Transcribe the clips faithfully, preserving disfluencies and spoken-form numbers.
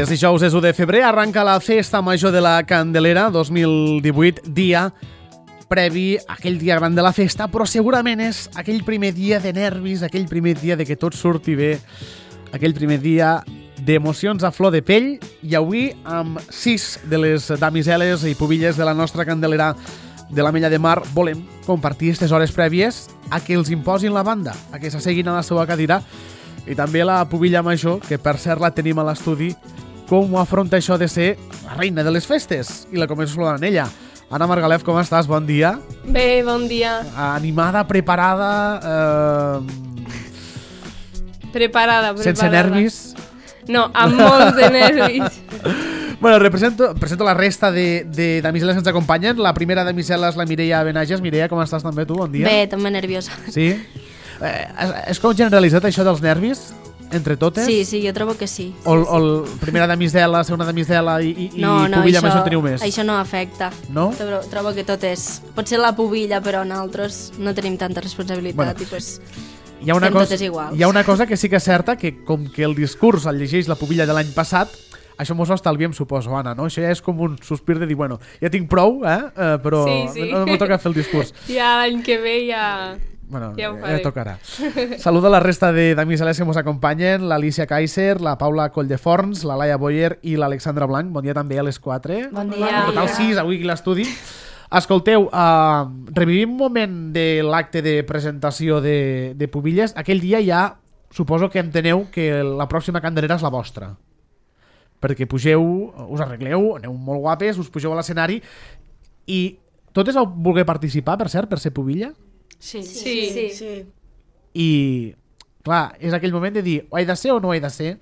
És dijous, és u de febrer, arranca la Festa Major de la Candelera dos mil divuit, dia previ a aquell dia gran de la festa, però segurament és aquell primer dia de nervis, aquell primer dia de que tot surti bé, aquell primer dia d'emocions a flor de pell, i avui amb sis de les damiseles i pubilles de la nostra Candelera de l'Ametlla de Mar volem compartir aquestes hores prèvies a que els imposin la banda, a que s'asseguin a la seva cadira, i també la pubilla major, que per cert la tenim a l'estudi, com ho afronta això de ser la reina de les festes, i la començo saludant ella. Anna Margalef, com estàs? Bon dia. Bé, bon dia. Animada, preparada... Eh... Preparada, preparada. Sense nervis? No, amb molts de nervis. Bueno, represento, presento la resta de, de damiseles que ens acompanyen. La primera damisela és la Mireia Benages. Mireia, com estàs també tu? Bon dia. Bé, també nerviosa. Sí? Eh, és com generalitzat això dels nervis? Entre totes? Sí, sí, jo trobo que sí. O, o el primera damisela, segona damisela i, i, no, i no, pubilla això, més en teniu més? això no afecta. No? Trobo, trobo que tot és... Potser la pubilla, però nosaltres no tenim tanta responsabilitat, bueno, i pues hi ha una estem cosa, totes iguals. Hi ha una cosa que sí que és certa, que com que el discurs el llegeix la pubilla de l'any passat, això mos ho estalviem, suposo, Anna, no? Això ja és com un sospir de dir, bueno, ja tinc prou, eh? Uh, però sí, sí. no m'ho toca fer el discurs. Ja l'any que ve ja... Bueno, ja ho ja faré. tocarà. Saluda la resta de damiseles que ens acompanyen, l'Alicia Kaiser, la Paula Colldeforns, la Laia Boyer i l'Alexandra Blanc. Bon dia també a les quatre. Bon dia. En total sis, avui aquí a l'estudi. Escolteu, uh, revivim un moment de l'acte de presentació de, de Pubilles. Aquell dia ja suposo que enteneu que la pròxima Candelera és la vostra. Perquè pugeu, us arregleu, aneu molt guapes, us pugeu a l'escenari i totes vau voler participar, per cert, per ser Pubilla? Sí, sí, Sí. sí. sí. I, clar, és aquell moment de dir ho he de ser o no he de ser,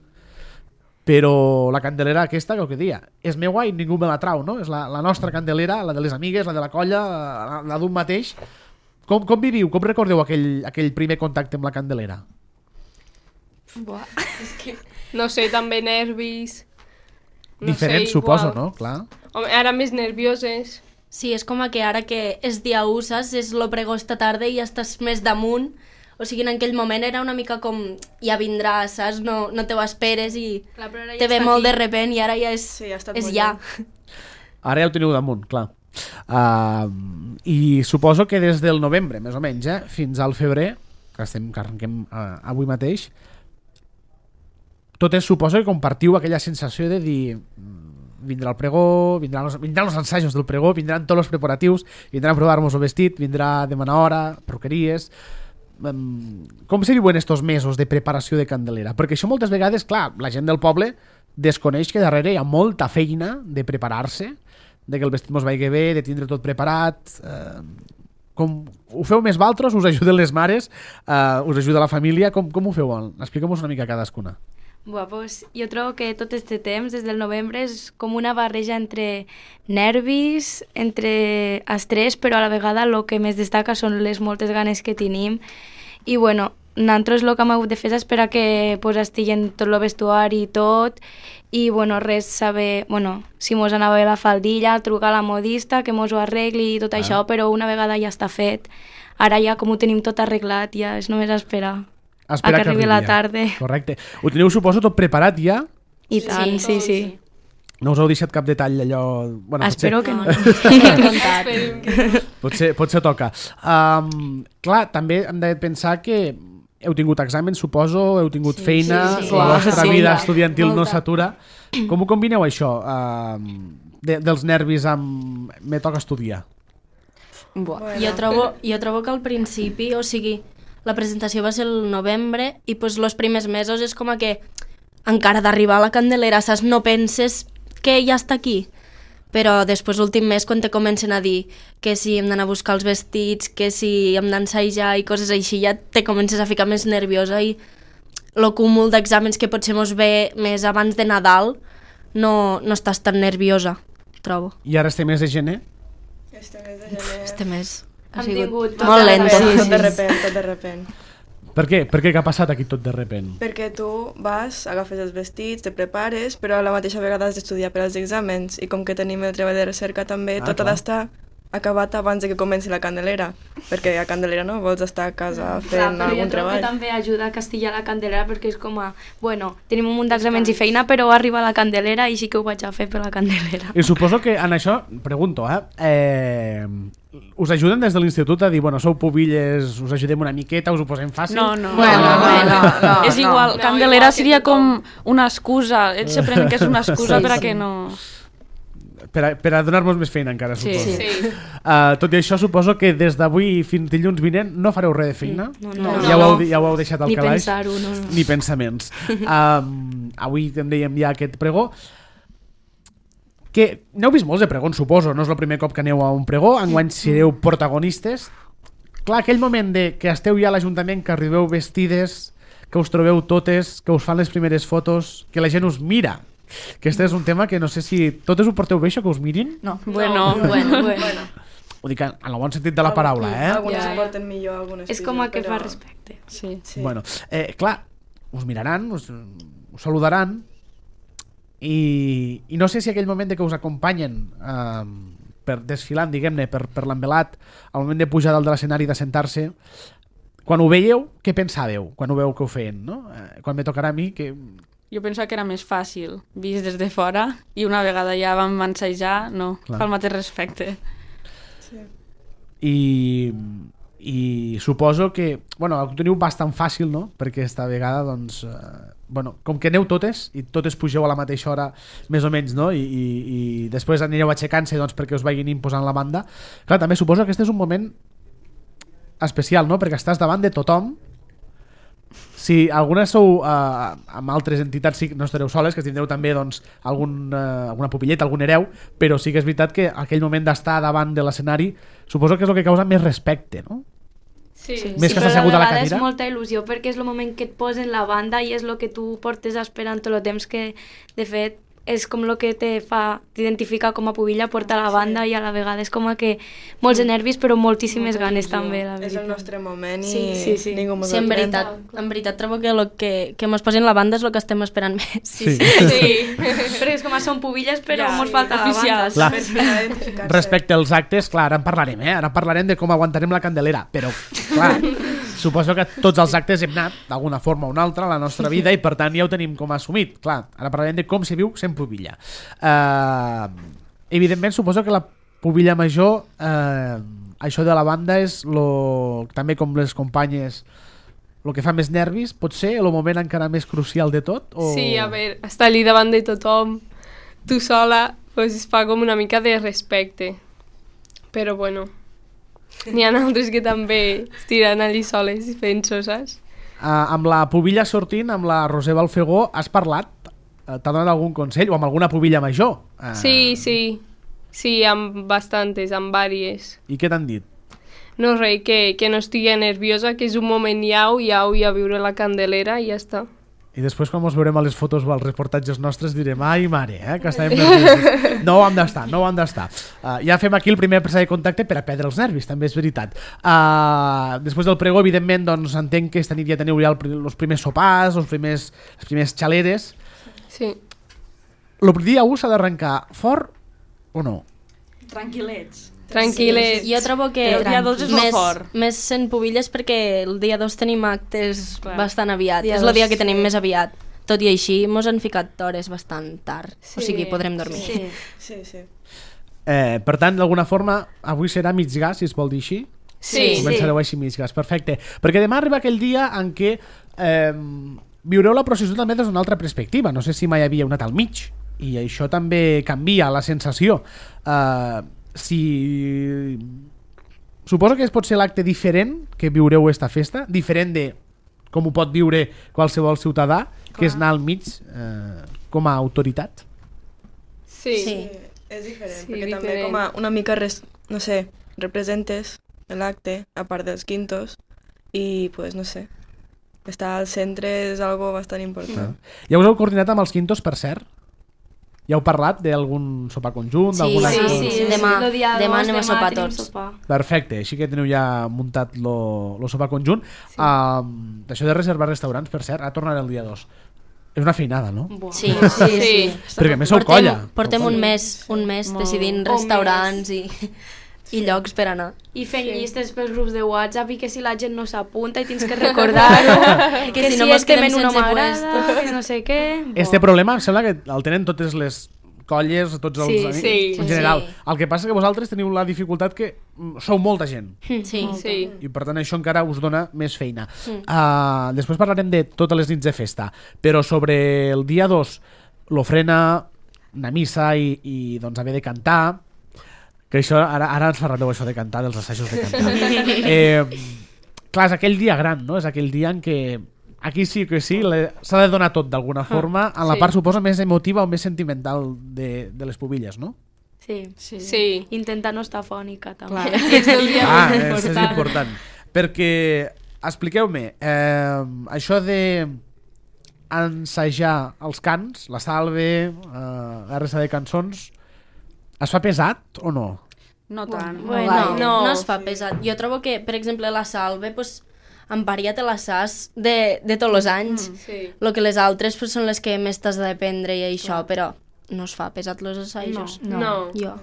però la Candelera aquesta, que el que dia, és meua i ningú me la trau, no? És la, la nostra Candelera, la de les amigues, la de la colla, la, la d'un mateix. Com, com viviu, com recordeu aquell, aquell primer contacte amb la Candelera? Buah. És que, no sé, també nervis. No Diferent, sé, suposo, igual. no? Clar. Home, ara més nervioses. Sí, és com que ara que és dia u, saps? És lo pregó esta tarda i ja estàs més damunt. O sigui, en aquell moment era una mica com ja vindrà, saps? No, no te ho esperes i Clar, ja te ve està molt aquí. de repent i ara ja és, Sí, ja ha estat és molt ja. lluny. Ara ja ho teniu damunt, clar. Uh, I suposo que des del novembre, més o menys, eh, fins al febrer, que estem que arrenquem uh, avui mateix, tot és, suposo que compartiu aquella sensació de dir vindrà el pregó, vindran els, vindran els ensajos del pregó, vindran tots els preparatius, vindran a provar-nos el vestit, vindrà a demanar hora, perruqueries... Um, com se diuen estos mesos de preparació de Candelera? Perquè això moltes vegades, clar, la gent del poble desconeix que darrere hi ha molta feina de preparar-se, de que el vestit mos vagi bé, de tindre tot preparat... Uh, com ho feu més valtros? Us ajuden les mares? Uh, us ajuda la família? Com, com ho feu? Expliquem-nos una mica cadascuna. Buah, pues, jo trobo que tot este temps, des del novembre, és com una barreja entre nervis, entre estrès, però a la vegada el que més destaca són les moltes ganes que tenim. I bueno, nosaltres el que hem hagut de fer és esperar que pues, estiguen tot el vestuari i tot, i bueno, res saber, bueno, si mos anava bé la faldilla, trucar a la modista, que mos ho arregli i tot ah. això, però una vegada ja està fet. Ara ja com ho tenim tot arreglat, ja és només esperar. Espera a que, que arribi la tarda. Correcte. Ho teniu, suposo, tot preparat ja? I tant, sí, sí. sí. No us heu deixat cap detall allò... Bueno, Espero potser... que no. Esperem que... potser, potser toca. Um, clar, també hem de pensar que heu tingut exàmens, suposo, heu tingut sí, feina, sí, sí. la vostra Sí, vida ja. estudiantil Molta. no s'atura. Com ho combineu, això, uh, de, dels nervis amb... Me toca estudiar. Buah. Bueno. Jo, trobo, jo trobo que al principi, o sigui, la presentació va ser el novembre i pues, els primers mesos és com a que encara d'arribar a la Candelera, saps? No penses que ja està aquí. Però després, l'últim mes, quan te comencen a dir que si hem d'anar a buscar els vestits, que si hem d'ensajar i coses així, ja te comences a ficar més nerviosa i el cúmul d'exàmens que potser mos ve més abans de Nadal no, no estàs tan nerviosa, trobo. I ara estem més de gener? Este mes de gener... Este mes ha Hem sigut tingut tot molt de lent. repent, Sí, tot de sí. repent, tot de repent. Per què? Per què? Què ha passat aquí tot de repent? Perquè tu vas, agafes els vestits, te prepares, però a la mateixa vegada has d'estudiar per als exàmens i com que tenim el treball de recerca també, Ah, tot clar. ha d'estar acabat abans de que comenci la Candelera, perquè a Candelera no vols estar a casa fent Clar, algun jo trobo treball. que també ajuda a castillar la Candelera perquè és com a, bueno, tenim un munt d'exàmens i feina, però arriba la Candelera i sí que ho vaig a fer per la Candelera. I suposo que en això, pregunto, eh, eh us ajuden des de l'institut a dir, bueno, sou pubilles, us ajudem una miqueta, us ho posem fàcil? No, no. Bueno, no, bueno, no, no, és no. igual, No, Candelera igual que seria tothom. com una excusa. Ells se prenen que és una excusa Sí, per a sí. que no... Per a, per a donar-vos més feina encara, Sí. suposo. Sí. Sí. Uh, tot i això, suposo que des d'avui fins dilluns vinent no fareu res de feina. No, No, ja, no. ho heu, ja ho heu deixat al Ni calaix. pensar-ho, no, no. Ni pensaments. Um, avui en dèiem ja aquest pregó. Que n'heu vist molts de pregons, suposo. No és el primer cop que aneu a un pregó. Enguany sereu protagonistes. Clar, aquell moment de que esteu ja a l'Ajuntament, que arribeu vestides, que us trobeu totes, que us fan les primeres fotos, que la gent us mira. Que este és un tema que no sé si... Totes ho porteu bé, això, que us mirin? No. Bueno, Bueno, bueno. Ho dic en el bon sentit de la paraula, eh? Algunes Ja, ho ja. porten millor, algunes És com a que però... fa respecte. sí. Sí. Bueno, eh, clar, us miraran, us, us saludaran i, i no sé si aquell moment de que us acompanyen eh, per desfilant, diguem-ne, per, per l'envelat, al moment de pujar dalt de l'escenari, de sentar-se, quan ho veieu, què pensàveu quan ho veu que ho feien, no? Eh, quan me tocarà a mi, que... Jo penso que era més fàcil, vist des de fora, i una vegada ja vam ensejar, no, Clar. fa el mateix respecte. I, i suposo que bueno, ho teniu bastant fàcil, no? Perquè esta vegada doncs, eh, bueno, com que aneu totes i totes pugeu a la mateixa hora més o menys, no? I, i, i després anireu aixecant-se doncs, perquè us vagin imposant la banda. Clar, també suposo que aquest és un moment especial, no? Perquè estàs davant de tothom. Si algunes sou eh, amb altres entitats, sí, no estareu soles, que tindreu també doncs, algun, eh, alguna pupilleta, algun hereu, però sí que és veritat que aquell moment d'estar davant de l'escenari suposo que és el que causa més respecte, no? Sí. Sí. Més que però estar assegut a la vegada cadira. és molta il·lusió perquè és el moment que et posen la banda i és el que tu portes esperant tot el temps que, de fet, és com el que te fa t'identificar com a pubilla, portar la banda i a la vegada és com a que molts de nervis però moltíssimes Molta ganes il·lusió. també, la És veritat. el nostre moment i Sí, sí, sí. ningú mos Sí, el en pren. veritat, en veritat trobo que el que, que mos posin la banda és el que estem esperant més. Sí. Sí. Perquè és com a són pubilles però Ja, mos sí, falta la banda. oficials. Clar. Per fi identificar-se. Respecte als actes, clar, ara en parlarem, eh? Ara parlarem de com aguantarem la Candelera, però, clar, suposo que tots els actes hem anat, d'alguna forma o una altra, a la nostra vida i, per tant, ja ho tenim com a assumit. Clar, ara parlarem de com se viu sent pubilla. Uh, evidentment, suposo que la pubilla major, uh, això de la banda és lo, també com les companyes, el que fa més nervis, pot ser el moment encara més crucial de tot? O... Sí, a veure, estar allí davant de tothom, tu sola, pues es fa com una mica de respecte. Però bueno, n'hi ha altres que també es tiren allí soles i fent soses. Uh, amb la pubilla sortint, amb la Roser Balfegó, has parlat? Uh, T'ha donat algun consell? O amb alguna pubilla major? Uh, Sí, sí, sí, amb bastantes, amb vàries. I què t'han dit? No, res, que, que no estigui nerviosa, que és un moment iau, iau, i a viure la Candelera i ja està. I després quan ens veurem a les fotos o als reportatges nostres direm, ai mare, eh, que estàvem nerviosos. No ho hem d'estar, no ho hem d'estar. Uh, ja fem aquí el primer presa de contacte per a perdre els nervis, també és veritat. Uh, després del pregó, evidentment, doncs entenc que esta nit ja teniu ja els primers sopars, els primers, les primers xaleres. Sí. El dia u s'ha d'arrencar fort o no? Tranquil·lets. Tranquil·lets. Jo trobo que Però el dia dos és molt més, fort. més sent pubilles perquè el dia dos tenim actes Clar. bastant aviat. Dia és el dia dos, que tenim sí. més aviat. Tot i així, mos han ficat hores bastant tard. Sí. O sigui, podrem dormir. Sí. Sí, sí. Eh, per tant, d'alguna forma, avui serà mig gas, si es vol dir així. Sí, Començareu així mig gas, perfecte. Perquè demà arriba aquell dia en què eh, viureu la processó també des d'una altra perspectiva. No sé si mai havia anat al mig i això també canvia la sensació. Eh, si... Suposo que es pot ser l'acte diferent que viureu esta festa, diferent de com ho pot viure qualsevol ciutadà, que és anar al mig eh, com a autoritat. Sí. Sí. Sí, és diferent, Sí, perquè també diferent. com a una mica, res, no sé, representes l'acte, a part dels quintos, i, pues, no sé, estar al centre és algo bastant important. Ja us heu coordinat amb els quintos, per cert? Ja heu parlat d'algun sopar conjunt? Sí, d'algun sí, acte? sí, sí. Demà, Lo dia demà dos, anem a demà sopar tenim tots. sopar. Perfecte, així que teniu ja muntat lo, lo sopar conjunt. Sí. Um, això de reservar restaurants, per cert, ara tornaré el dia dos. És una feinada, no? Buah. Sí, sí, sí. Sí. Perquè a més sou Portem, colla. portem Sou un colla. mes, un mes Molt. decidint Un restaurants i... i llocs per anar. I fent sí. llistes pels grups de WhatsApp i que si la gent no s'apunta i tens que recordar-ho, que, que si, si no estem en una m'agrada, que no sé què... Este problema em sembla que el tenen totes les colles, tots els sí, amics, sí, en general. sí. El que passa és que vosaltres teniu la dificultat que sou molta gent. Sí. sí. I per tant això encara us dona més feina. Mm. Uh, després parlarem de totes les nits de festa, però sobre el dia dos, l'ofrena, una missa i, i doncs haver de cantar, que això, ara, ara ens parlareu això de cantar, dels assajos de cantar. eh, clar, és aquell dia gran, no? És aquell dia en què aquí sí que sí, s'ha de donar tot d'alguna forma, en la sí. part suposa més emotiva o més sentimental de, de les pubilles, no? Sí. Sí. sí. Intentar no estar fònica, també. Clar. És el dia Ah, més és, és important. important. Perquè, expliqueu-me, eh, això de ensajar els cants, la salve, eh, R S A de cançons, es fa pesat o no? No tant. Bueno, no. no, no es fa pesat. Jo trobo que, per exemple, la salve, pues, en paria te la saps de, de tots els anys. Mm, sí. Lo que les altres pues, són les que més t'has d'aprendre i això, però no es fa pesat los assajos. No. no. Jo.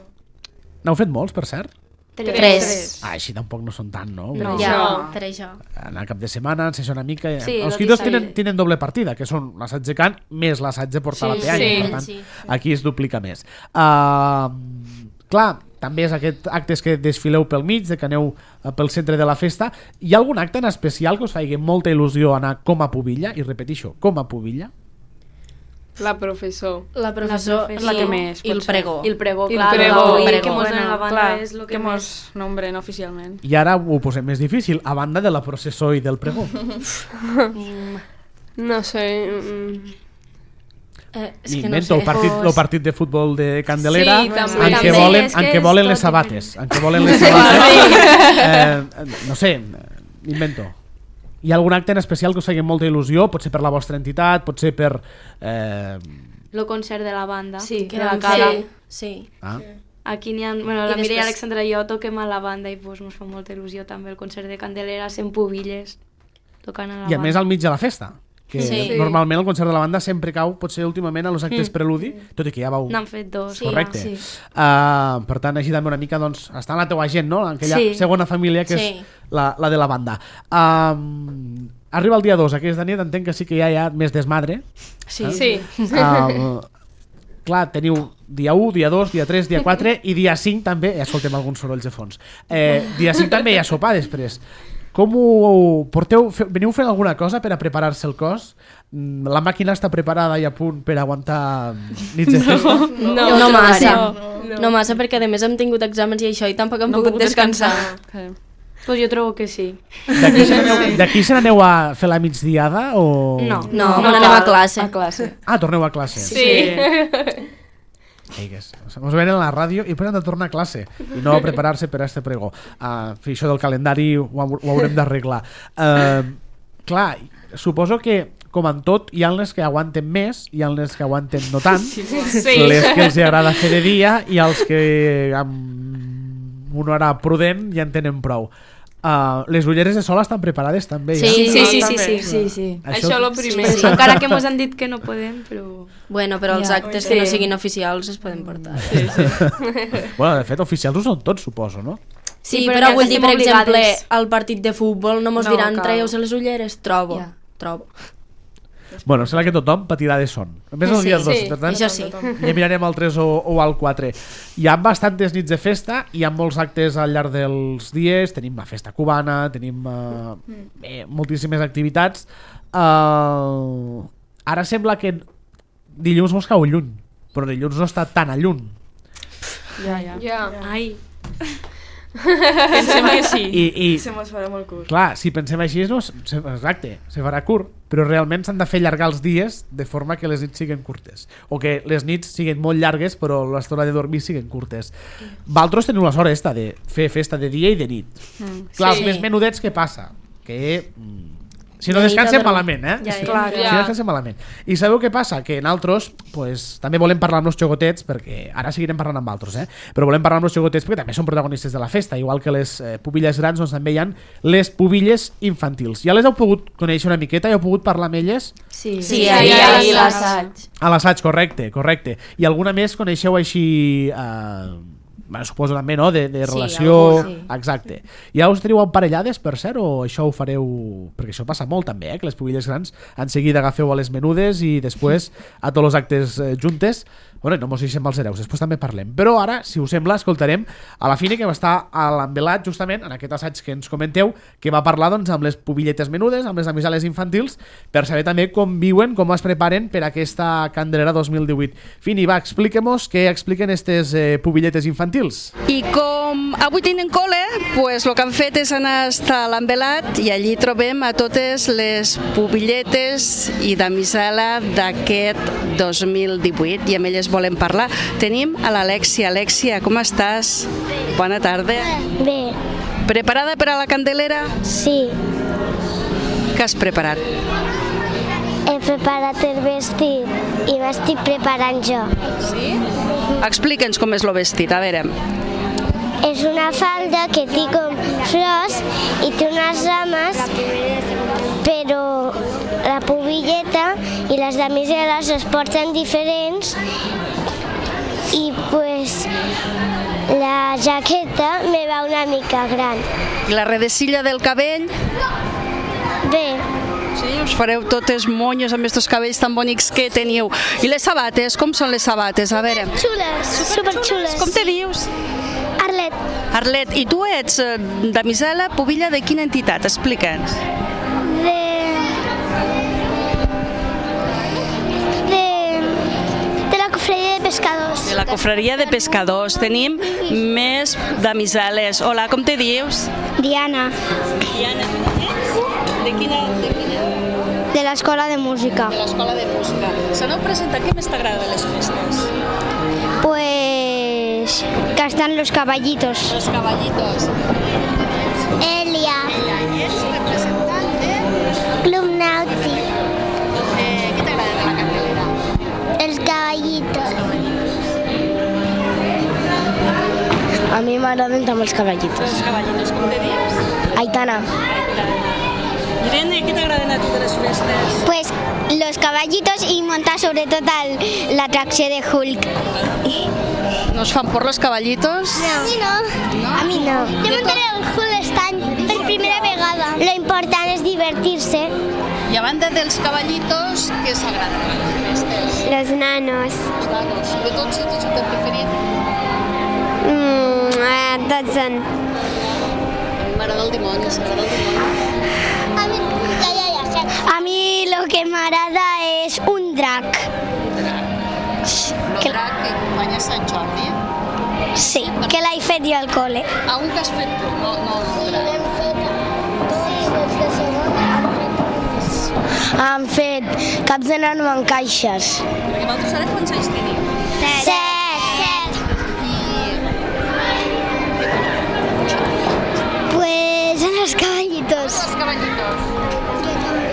N'heu fet molts, per cert? Tres. Tres. Ah, així tampoc no són tant, no? No. Ja, No. per això. Anar cap de setmana, ensajar una mica... Sí, els lo quitos dissabte. tenen, tenen doble partida, que són l'assaig de cant més l'assaig de portar Sí, la peanya. sí. Per tant, Sí. aquí es duplica més. Uh, clar, també és aquest actes que desfileu pel mig, de que aneu uh, pel centre de la festa. Hi ha algun acte en especial que us faci molta il·lusió anar com a pubilla? I repetixo, com a pubilla? La professor. La professor, La és la que i- més, i el potser. pregó. I el pregó, I el clar, pregó. avui Pregó. que mos Bueno, donen la banda Clar, és el que, que més... mos nombren oficialment. I ara ho posem més difícil, a banda de la processó i del pregó. No sé... Mm, Eh, és que no M'invento sé. el partit, el partit de futbol de Candelera Sí, també. en què També, volen, és en que què és volen tot les sabates. En què volen les sabates. Eh, no sé, m'invento. Hi ha algun acte en especial que us faci molta il·lusió? Pot ser per la vostra entitat, pot ser per... Eh... El concert de la banda. Sí, que que de la vam Cala. fer. Sí. Ah. Aquí n'hi ha... Bueno, I la Mireia i després- Alexandra i jo toquem a la banda i pues, ens fa molta il·lusió també el concert de Candelera, sent pubilles, tocant a la I a banda. més al mig de la festa, que Sí. normalment el concert de la banda sempre cau, potser últimament a los actes preludi, tot i que ja vau... N'han fet dos. Sí, Correcte. sí. Uh, per tant, així també una mica doncs, està en la teua gent, no? En aquella Sí. segona família que Sí. és la, la de la banda. Um, arriba el dia dos, aquesta nit entenc que sí que ja hi ha més desmadre. Sí. sí. Uh, clar, teniu dia u, dia dos, dia tres, dia quatre i dia cinc també, ja escoltem alguns sorolls de fons, eh, dia cinc també hi ha sopar després. Com ho porteu? Fe, veniu fent alguna cosa per a preparar-se el cos? Mm, La màquina està preparada i a punt per aguantar nits de festa? No, No, no massa. No, No. no massa, perquè a més hem tingut exàmens i això i tampoc hem No pogut descansar. Sí. Pues jo trobo que sí. D'aquí se n'aneu- d'aquí se n'aneu a fer la migdiada o... No. No, no, No anem cal. a classe. A classe. Ah, torneu a classe. Sí. Ei, que és- Ens ven a la ràdio i després han de tornar a classe i no a preparar-se per a este pregó. Uh, això del calendari ho, ho haurem d'arreglar. Uh, clar, suposo que com en tot hi ha les que aguanten més i hi ha les que aguanten no tant, Sí. les que els agrada fer de dia i els que amb una hora prudent ja en tenen prou. Uh, les ulleres de sol estan preparades també ja? Sí, Sí, sí, sí, també. sí, sí, sí. Això lo primer. Sí. Encara que mos han dit que no podem, però... Bueno, però els Ja. actes que no Sí. siguin oficials es poden portar. Sí, sí. Bueno, de fet, oficials ho són tots, suposo, no? Sí, Sí, però, però ja vull dir, estem per exemple, obligades. al partit de futbol no mos No, diran cal. traieu-se les ulleres? Trobo, Ja. trobo. Bueno, sembla que tothom patirà de son. A més, el Sí, dia dos, sí. per tant, Això sí. ja mirarem al tres o, o al quatre. Hi ha bastantes nits de festa, hi ha molts actes al llarg dels dies, tenim la festa cubana, tenim uh, eh, moltíssimes activitats. Uh, ara sembla que dilluns mos cau lluny, però dilluns no està tan a lluny. Ja, ja. Ja. Ai, Pensem que sí. I, i Se mos farà molt curt. clar, si pensem així, no, se- exacte, se farà curt, però realment s'han de fer allargar els dies de forma que les nits siguin curtes, o que les nits siguin molt llargues però l'estona de dormir siguin curtes. Valtros teniu la sort esta de fer festa de dia i de nit. Mm. Clar, Sí. els més menudets què passa? Que mm, si no De nit descansen a dormir. malament, eh? Ja, si, clar, si clar. no descansen malament. I sabeu què passa? Que nosaltres pues, també volem parlar amb els xocotets, perquè ara seguirem parlant amb altres, eh? Però volem parlar amb els xocotets perquè també són protagonistes de la festa, igual que les eh, pubilles grans, doncs també hi ha les pubilles infantils. Ja les heu pogut conèixer una miqueta? Ja heu pogut parlar amb elles? sí. Sí, Sí, ahir, sí, ahir sí. l'assaig. A l'assaig, correcte, correcte. I alguna més coneixeu així... Eh, bueno, suposo també, no?, de, de Sí, relació... alguna, sí. Exacte. Ja us teniu emparellades, per cert, o això ho fareu... Perquè això passa molt també, eh?, que les pubilles grans en seguida agafeu a les menudes i després a tots els actes eh, juntes. Bueno, no mos deixem els hereus, després també parlem. Però ara, si us sembla, escoltarem a la Fine, que va estar a l'Envelat, justament, en aquest assaig que ens comenteu, que va parlar, doncs, amb les pubilletes menudes, amb les amisales infantils, per saber també com viuen, com es preparen per aquesta Candelera dos mil divuit. Fini, va, expliquem-nos què expliquen aquestes eh, pubilletes infantils. I com avui tenen col·le, pues, el que han fet és anar a l'Envelat i allí trobem a totes les pubilletes i damisela d'aquest dos mil divuit i amb elles volem parlar. Tenim a l'Alexia. Alexia, com estàs? Bona tarda. Bé, Preparada per a la Candelera? sí, Què has preparat? he preparat el vestit i m'estic preparant jo. Explica'ns com és el vestit, a veure. És una falda que té com flors i té unes rames, però la pubilleta i les damiseles es porten diferents i pues la jaqueta me va una mica gran. I la redecilla del cabell? Bé, Sí, us fareu totes monyos amb aquests cabells tan bonics que teniu. I les sabates, com són les sabates? A veure. xules, superxules. Com te dius? Arlet, Arlet, i tu ets eh, damisela, pubilla de quina entitat? Explica'ns. de... de... de la cofredia de pescadors. De la cofreria de pescadors. Tenim més damiseles. Hola, com te dius? Diana, Diana. De quina, de quina? de l'escola de música. De l'escola de música. S'aneu presentar, què més t'agrada de les festes? Pues que están los caballitos. Los caballitos. Elia, I ets representant de... Club Náutico, Eh, què t'agrada de la Candelera? els caballitos. A mi m'agraden també els cavallitos. Els caballitos, com te dius? Aitana. Irene, què t'agraden a tu de les festes? Pues los caballitos y montar sobre todo la atracción de Hulk. No us fan por los caballitos? A mi no. A mi no. Jo muntaré el Hulk este any per primera vegada. Lo important és divertir-se. I a banda dels caballitos, què s'agrada de les festes? Los nanos. Els nanos. De tots, ets el teu preferit? Mm, eh, tots són. M'agrada el dimoni, s'agrada el dimoni. A mi, ja, ja, ja, sé. A mi lo que m'agrada és un drac. El drac que acompanya Sant Jordi. Sí, que l'he fet jo al col·le. A un que has fet tu, no, no el drac. Han fet caps de nano en caixes. Perquè vosaltres ara quants anys teniu? Set. Set. Pues en los caballitos. Els caballitos.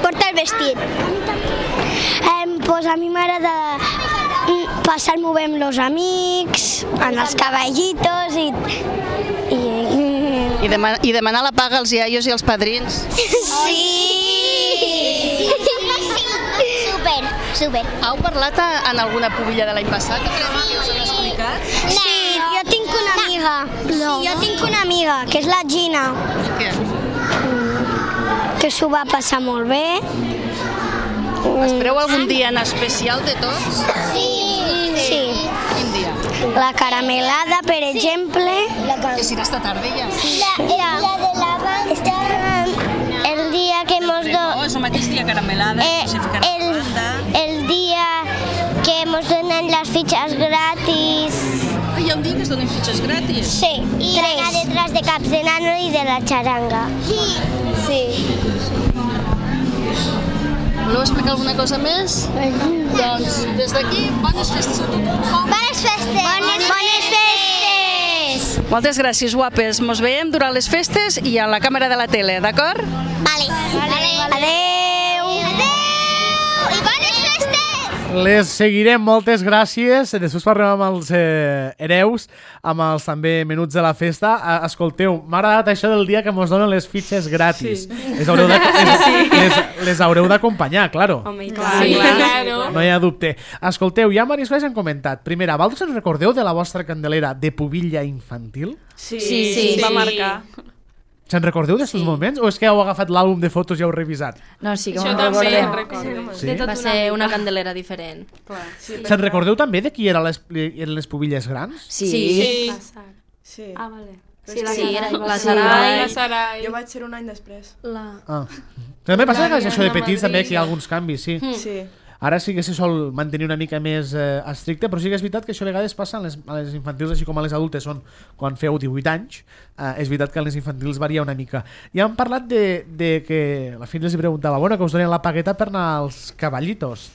Porta el vestit. Eh, pues a mi m'agrada mm, passar-m'ho bé amb los amics, en els caballitos i... i... I, dema I demanar la paga als iaios i als padrins. Sí! Super, super. Heu parlat a, en alguna pubilla de l'any passat? Sí. Us han explicat? Sí, jo tinc una amiga. No. Sí, jo tinc una amiga, que és la Gina, Què? que s'ho va passar molt bé. Espereu algun dia en especial de tots? Sí. Sí. Quin dia? La caramelada, per exemple. Que serà esta tarda ja? La, la, la de la banda. El dia que mos do... No, és el mateix dia caramelada, Eh, se ficarà el, la banda. el dia que mos donen les fitxes gratis. Ah, hi ha un dia que es donen fitxes gratis? Sí, i tres. Anar detrás de caps de nano i de la xaranga. Sí. Sí. Voleu explicar alguna cosa més? Doncs, des d'aquí, bones festes a tothom. Bones festes! Bones, bones festes! Moltes gràcies, guapes. Mos veiem durant les festes i a la càmera de la tele, d'acord? Vale. Vale. Adeu. Adeu. I bones festes! Les seguirem, moltes gràcies. Després parlem amb els eh, hereus, amb els també menuts de la festa. Uh, escolteu, m'ha agradat això del dia que mos donen les fitxes gratis. Sí. Les haureu de, les, les, les haureu d'acompanyar, claro. Home, i clar, sí, claro. No hi ha dubte. Escolteu, ja diverses coses han comentat. Primera, vosaltres us recordeu de la vostra Candelera de pubilla infantil? Sí, Sí, sí, sí, va sí. marcar. Se'n recordeu d'aquests sí. moments? O és que heu agafat l'àlbum de fotos i heu revisat? No, sí que Això me'n també recordem. en recordo. Sí? Va ser una candelera diferent. Clar. Sí. Se'n recordeu també de qui eren les, eren les pubilles grans? Sí. Sí. Sí. Ah, vale. Sí, la Sí, era Sarai. la La Sarai. Sarai. Jo vaig ser un any després. La... Ah. També passa que La això de Diana petits també Madrid. que hi ha alguns canvis, sí. Mm. Sí. Ara sí que se sol mantenir una mica més eh, estricte, però sí que és veritat que això a vegades passa a les, a les infantils, així com a les adultes són quan feu divuit anys, eh, és veritat que a les infantils varia una mica. Ja hem parlat de, de que, la fi els preguntava, bueno, que us donen la pagueta per anar als cavallitos.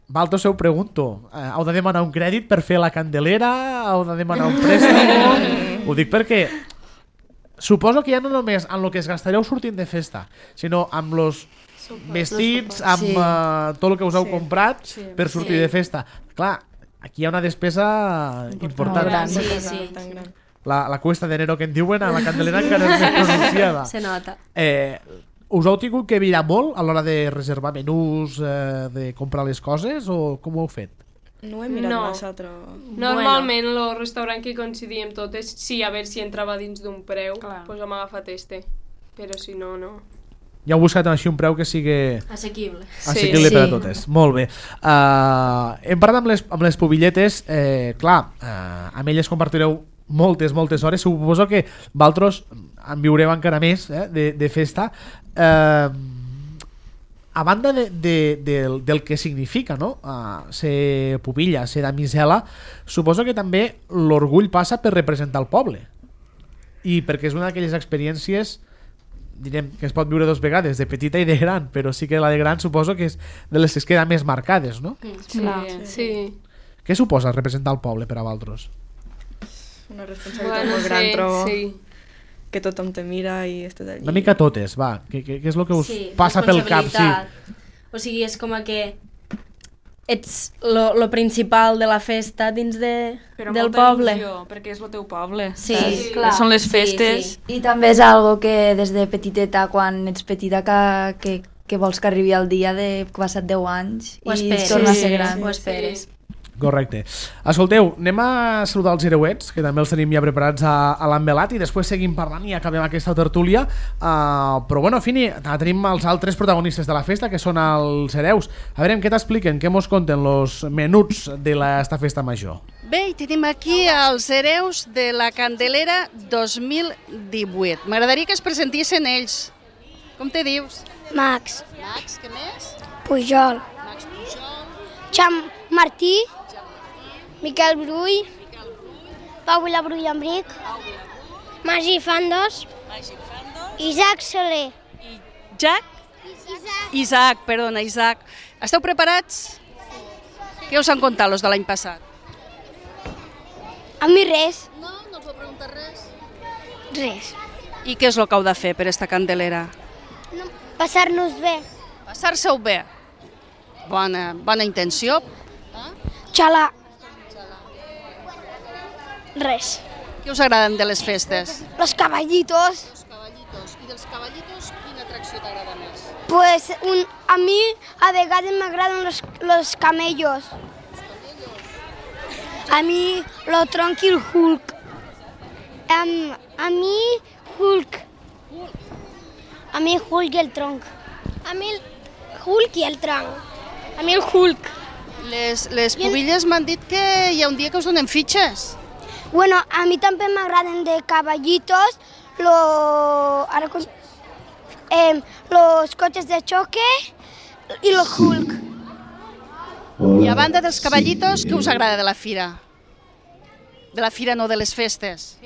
Valtos, ho pregunto, eh, heu de demanar un crèdit per fer la candelera? Heu de demanar un préstec? Ho dic perquè suposo que ja no només en el que es gastareu sortint de festa, sinó amb los vestits, amb Sí. uh, tot el que us heu Sí. comprat Sí. per sortir Sí. de festa. Clar, aquí hi ha una despesa important. Molt gran. Sí, Tan sí. gran, tan gran. La, la cuesta d'enero que en diuen a la Candelera encara és més pronunciada. Se nota. Eh, us heu tingut que mirar molt a l'hora de reservar menús, eh, de comprar les coses, o com ho heu fet? No ho he mirat No. massa, però... Normalment el restaurant que coincidíem totes, sí, a veure si entrava dins d'un preu, Clar. doncs hem agafat este. Però si no, no. Ja heu buscat així un preu que sigui Assequible. assequible Sí. per a totes. Molt bé. Uh, hem parlat amb les, amb les pubilletes. Eh, clar, uh, amb elles compartireu moltes, moltes hores. Suposo que vosaltres en viureu encara més eh, de, de festa. Uh, a banda de, de, de, del que significa, no? Uh, ser pubilla, ser damisela, suposo que també l'orgull passa per representar el poble. I perquè és una d'aquelles experiències, direm, que es pot viure dos vegades, de petita i de gran, però sí que la de gran suposo que és de les que es queden més marcades, no? Sí, sí. Què suposa representar el poble per a vosaltres? Una responsabilitat Bueno, molt gran, sí, trobo. sí. Que tothom te mira i estàs allí. Una mica totes, va. Què, què, què és el que us Sí, passa pel cap? Sí. responsabilitat. O sigui, és com a que ets lo, lo principal de la festa dins de, Però del molta poble. il·lusió, perquè és el teu poble. Sí, saps? clar. Són les Sí, festes. sí. I també és algo que des de petiteta, quan ets petita, que, que, que vols que arribi el dia de que passat deu anys Ho i esperes. es torna a Sí, ser gran. ho esperes. Correcte. Escolteu, anem a saludar els hereuets, que també els tenim ja preparats a, a l'envelat, i després seguim parlant i acabem aquesta tertúlia. Uh, però bueno, Fini, tenim els altres protagonistes de la festa, que són els hereus. A veure, què t'expliquen, què mos conten los menuts d'esta festa major? Bé, i tenim aquí els hereus de la Candelera dos mil divuit. M'agradaria que es presentissin ells. Com te dius? Max, Max, què més? Pujol, Max Pujol, Xam Martí, Miquel Brull, Pau Vilabrull Embric, Magí Fandos, Isaac Soler. Jack? Isaac, perdona, Isaac. Esteu preparats? Què us han contat los de l'any passat? A mi res, No, no us heu preguntat res. res. I què és el que heu de fer per esta Candelera? No, passar-nos bé. Passar-se-ho bé. Bona, bona intenció. Xalar. Res. Què us agraden de les festes? Los caballitos. Els cavallitos. I dels cavallitos, quina atracció t'agrada més? Pues un, a mi a vegades m'agraden los, los camellos. A mi lo tronc i el Hulk. Um, a mi Hulk. A mi Hulk i el tronc. A mi el Hulk i el tronc. A mi el Hulk. Les, les pubilles m'han dit que hi ha un dia que us donen fitxes. Bueno, a mi també m'agraden de caballitos, lo, ara, com- eh, los coches de choque i el Hulk. I a banda dels cavallitos, què us agrada de la fira? De la fira, no de les festes.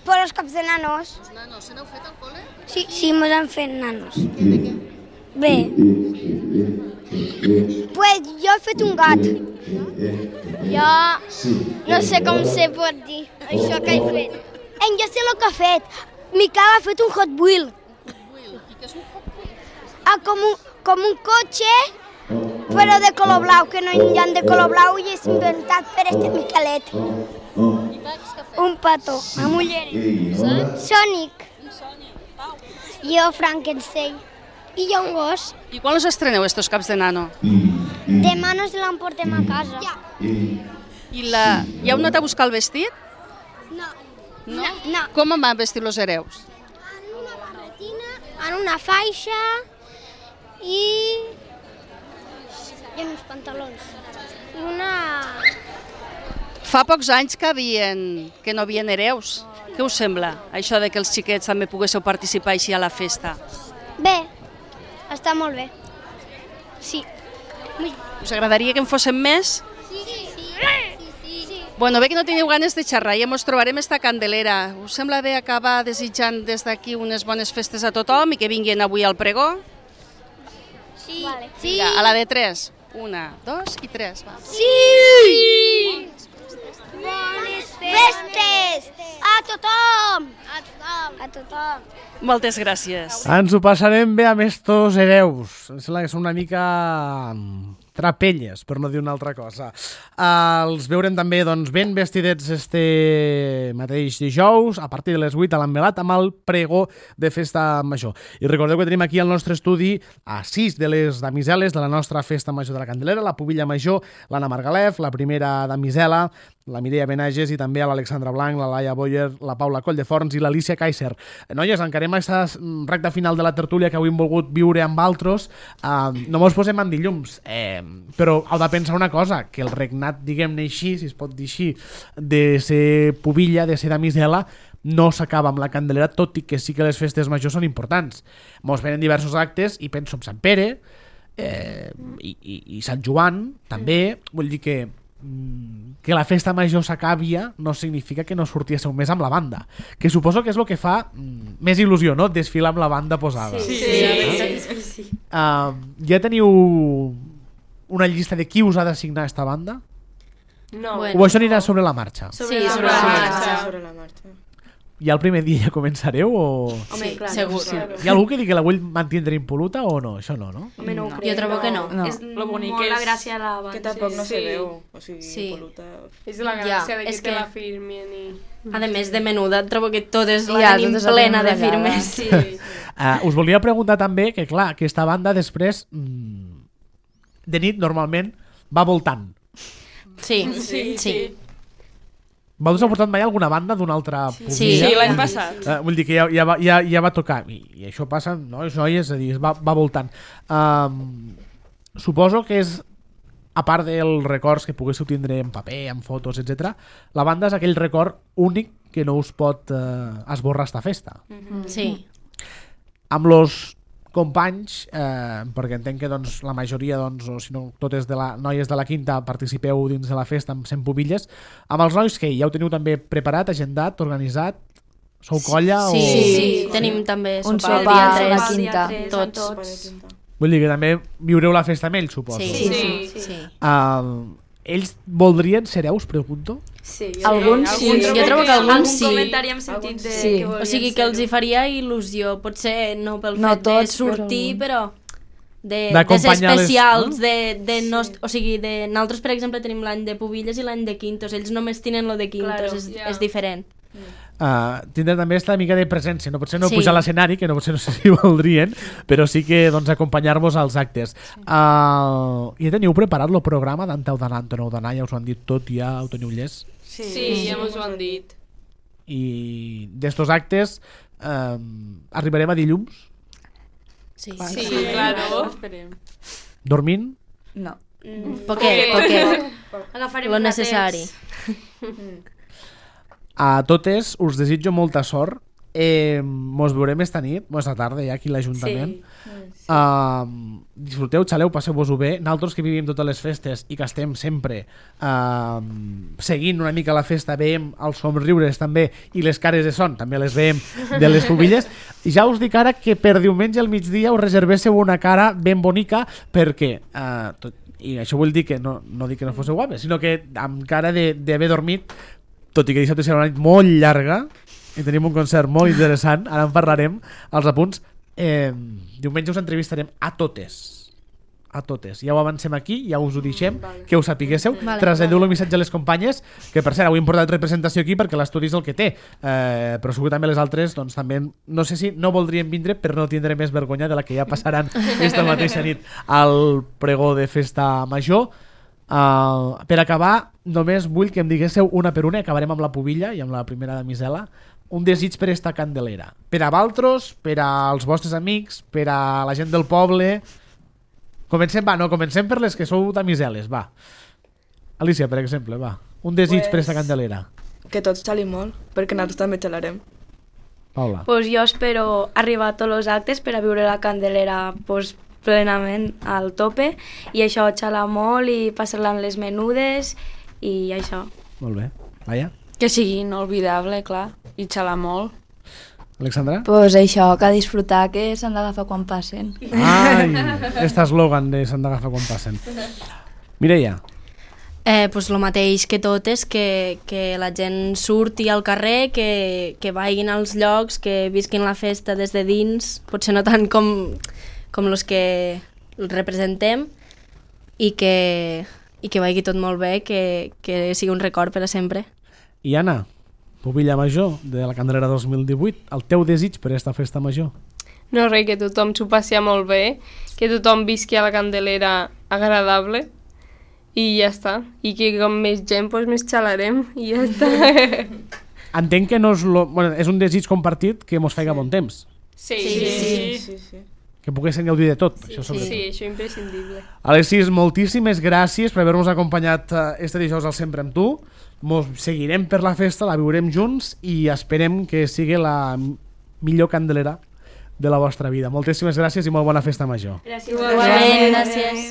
Per los caps de nanos. Els nanos, se n'heu fet al col·le? Sí, sí, mos han fet nanos. Bé. Pues jo he fet un gat. Jo no sé com se pot dir això que he fet. En jo sé el que ha fet. Miquel ha fet un Hot Wheel. Ah, com un, com un cotxe però de color blau, que no hi ha de color blau i és inventat per este Miquelet. Un petó, amb ulleres. Sònic. Jo, Frankenstein. I jo un gos. I quan us estreneu estos caps de nano? Demà no se l'emportem a casa. Ja. I la... hi heu anat a buscar el vestit? No. No? No. Com em van vestir los hereus? En una barretina, en una faixa i... i en uns pantalons. I una... Fa pocs anys que, havien... que no havien hereus. Què us sembla, això de que els xiquets també poguéssiu participar així a la festa? Bé, està molt bé. Sí. Us agradaria que en fóssim més? Sí, sí, sí. sí. Bueno, bé que no teniu ganes de xerrar, ja mos trobarem esta Candelera. Us sembla bé acabar desitjant des d'aquí unes bones festes a tothom i que vinguin avui al pregó? Sí. Vale. Sí. Vinga, a la de tres. Una, dos i tres. Va. Sí! Bones festes! A tothom! A tothom! A tothom! Moltes gràcies. Ens ho passarem bé amb estos hereus. Em sembla que són una mica trapelles, per no dir una altra cosa. Uh, els veurem també doncs, ben vestidets este mateix dijous, a partir de les vuit a l'Envelat, amb el pregó de festa major. I recordeu que tenim aquí al nostre estudi a sis de les damiseles de la nostra festa major de la Candelera, la pubilla major, l'Anna Margalef, la primera damisela, la Mireia Benages i també a l'Alexandra Blanc, la Laia Boyer, la Paula Colldeforns i l'Alicia Kaiser. Noies, encarem aquesta recta final de la tertúlia que avui hem volgut viure amb altres. Uh, no mos posem en dilluns, eh, però heu de pensar una cosa, que el regnat, diguem-ne així, si es pot dir així, de ser pubilla, de ser damisela, no s'acaba amb la Candelera, tot i que sí que les festes majors són importants. Mos venen diversos actes i penso en Sant Pere eh, i, i, i Sant Joan també, vull dir que que la festa major s'acabia no significa que no sortíssiu més amb la banda, que suposo que és el que fa mm, més il·lusió, no? Desfilar amb la banda posada. Sí, sí, sí, sí, sí. Uh, ja teniu una llista de qui us ha d'assignar esta banda? No. Bueno, o això anirà sobre la marxa? Sobre sí, la sobre la marxa. Sobre la marxa. Ja el primer dia ja començareu o...? Home, sí, clar, segur. Sí. Hi ha algú que digui que la vull mantindre impoluta o no? Això no, no? Home, no ho No. crec. Jo trobo que no. No. És Lo bonic molt és- la gràcia de la banda. Que tampoc no Sí. se veu, o sigui, Sí. impoluta... És la Ja, gràcia de que és te que- la firmin i... A més, de menuda, trobo que totes la Ja, tenim totes la plena de tenim ratllada. firmes. Sí. Uh, us volia preguntar també que, clar, aquesta banda després mm, de nit normalment va voltant. Sí, Sí, sí. sí. Vau us ha portat mai alguna banda d'una altra pubilla? Sí, Sí, l'any Vull dir- passat. Uh, vull dir que ja, ja, va, ja, ja va tocar i, i això passa, no? Això és a dir, va, va voltant. Um, suposo que és, a part dels records que poguéssiu tindre en paper, en fotos, etcètera, la banda és aquell record únic que no us pot uh, esborrar esta festa. Sí. Amb los companys, eh, perquè entenc que doncs, la majoria, doncs, o si no totes de la, noies de la quinta participeu dins de la festa amb cent pubilles, amb els nois que ja ho teniu també preparat, agendat, organitzat, sou colla Sí, o... sí, Sí. sí. Tenim també Un sopar el sopar dia a la tres, quinta, tots. tots. Vull dir que també viureu la festa amb ells, suposo. Sí, Sí, sí, sí. sí. Uh, ells voldrien ser hereus, pregunto? Sí, Alguns sí, jo trobo que alguns algun sí. comentari hem sentit de Sí. que O volien sigui que els hi ser-ho. faria il·lusió, potser no pel No fet de tots, sortir, però de, de ser D'acompanyar-les, especials, no? de, de no, o sigui, de, nosaltres per exemple tenim l'any de pubilles i l'any de quintos, ells només tenen lo de quintos, Claro, és, ja. és diferent. Uh, tindrà també esta mica de presència, no potser no Sí. pujar a l'escenari, que no potser no sé si voldrien, però sí que doncs, acompanyar-vos als actes. Uh, ja teniu preparat el programa d'anteu d'anar, aneu d'anar, ja us ho han dit tot, ja ho teniu llest. Sí, sí, ja mos ho han dit. I d'estos actes um, arribarem a dilluns Sí, Sí, claro. Esperem. dormint. No. Poquet, poquet. Agafarem Lo platets. necessari. A totes us desitjo molta sort. Eh, mos veurem esta nit, esta tarda ja aquí a l'Ajuntament. Sí. Uh, disfruteu, xaleu, passeu-vos-ho bé. Nosaltres que vivim totes les festes i que estem sempre uh, seguint una mica la festa, veiem els somriures també i les cares de son, també les veiem de les pubilles. Ja us dic ara que per diumenge al migdia us reservéssiu una cara ben bonica perquè, uh, tot, i això vull dir que no, no dic que no fóssiu guapes, sinó que amb cara d'haver dormit, tot i que dissabte serà una nit molt llarga i tenim un concert molt interessant, ara en parlarem als apunts. Eh, diumenge us entrevistarem a totes a totes. Ja ho avancem aquí, ja us ho deixem, vale. Que us sapiguéssiu. Vale. Traslladeu el missatge a les companyes, que per cert, avui hem portat representació aquí perquè l'estudi és el que té, eh, però segur també les altres, doncs també, no sé si no voldrien vindre per no tindre més vergonya de la que ja passaran esta mateixa nit al pregó de festa major. Uh, per acabar, només vull que em diguéssiu una per una, acabarem amb la pubilla i amb la primera damisela, un desig per esta candelera. Per a valtros, per als vostres amics, per a la gent del poble. Comencem, va, no, comencem per les que sou damiseles, va. Alicia, per exemple, va. Un desig pues, per esta candelera. Que tots xali molt, perquè nosaltres també xalarem. Paula. Pues jo espero arribar a tots els actes per a viure la candelera pues, plenament al tope i això, xalar molt i passar-la amb les menudes i això. Molt bé. Laia? Que sigui inolvidable, clar, i xalar molt. Alexandra? Pues això, que disfrutar, que s'han d'agafar quan passen. Ai, este eslògan de s'han d'agafar quan passen. Mireia? Eh, pues lo mateix que totes, que, que la gent surti al carrer, que, que vagin als llocs, que visquin la festa des de dins, potser no tant com, com els que el representem, i que, i que vagi tot molt bé, que, que sigui un record per a sempre. I Anna, pubilla major de la Candelera dos mil divuit, el teu desig per a esta festa major? No, res, que tothom s'ho passi molt bé, que tothom visqui a la Candelera agradable i ja està. I que com més gent, doncs més xalarem i ja està. Entenc que no és, lo... bueno, és un desig compartit que mos feiga bon temps. Sí, sí, sí. sí. sí, sí. Que poguessin gaudir de tot. Sí, això sí, sí, això és imprescindible. Alexis, moltíssimes gràcies per haver-nos acompanyat este dijous al Sempre amb tu. Mos seguirem per la festa, la viurem junts i esperem que sigui la millor candelera de la vostra vida. Moltíssimes gràcies i molt bona festa major. Gràcies. Igualment, gràcies.